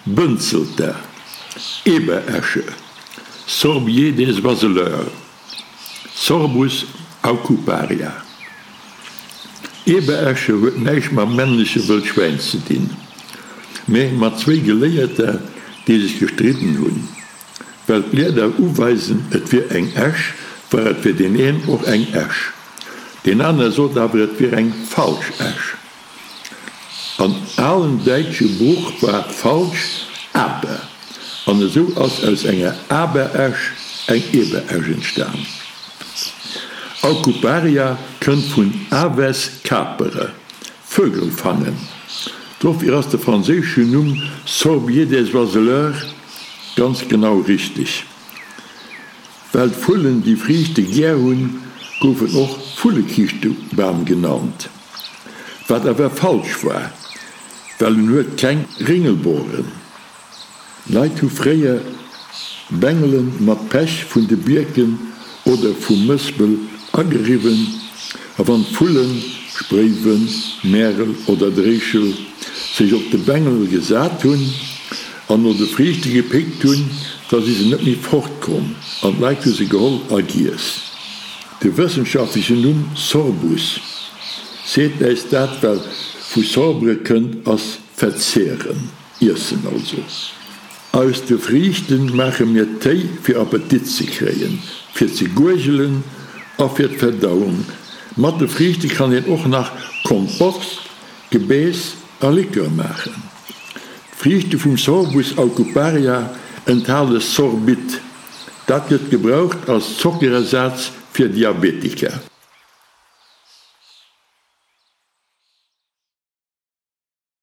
Bënzelter, Eberesche, Sorbier des oiseleurs, Sorbus aucuparia. Eberesche huet näischt mam männleche Wëllschwäin ze dinn, mä mat zwéi Geléierter, déi sech gestridden hunn. Well d'Blieder uweisen, et wier eng Esch, war et fir deen een och eng Esch. Deen anere sot awer, et wier eng falsch Esch. An alen däitsche Bruch war falsch aber, an esou ass aus enger Aberesch eng Eberesch entstan. Aucuparia kënnt vun aves capere, Vögel fangen. Dofir ass de franséischen Numm Sorbier des oiseleurs ganz genau richteg. Well d'Vullen déi Friichte gär hunn, gouf en och Vullekiischtebam genannt, wat awer falsch war, well en huet keng Ringelboren. Leit hu fréier Bengele mat Pech vun de Bierken oder vum Mëspel ageriwwen a wann d'Vullen, Spréiwen, Märel oder Dréischel, sech op de Bengel gesat hunn an no de Friichte gepickt hunn, da si se net méi fortkomm an d'Leit hu se geholl a giess. De wëssenschaftlechen Numm Sorbus seet äis dat, well vu sorbere kënnt, ass verzehren. Iessen also. Aus de Friichten maache mir Téi fir Appetit ze kréien, fir ze guergelen a fir d'Verdauung. Mat de Friichte kann een och nach Kompost, Gebeess a Likör maachen. D'Friichte vum Sorbus aucuparia enthale Sorbit. Dat gëtt gebraucht als Zockerersaz fir Diabetiker.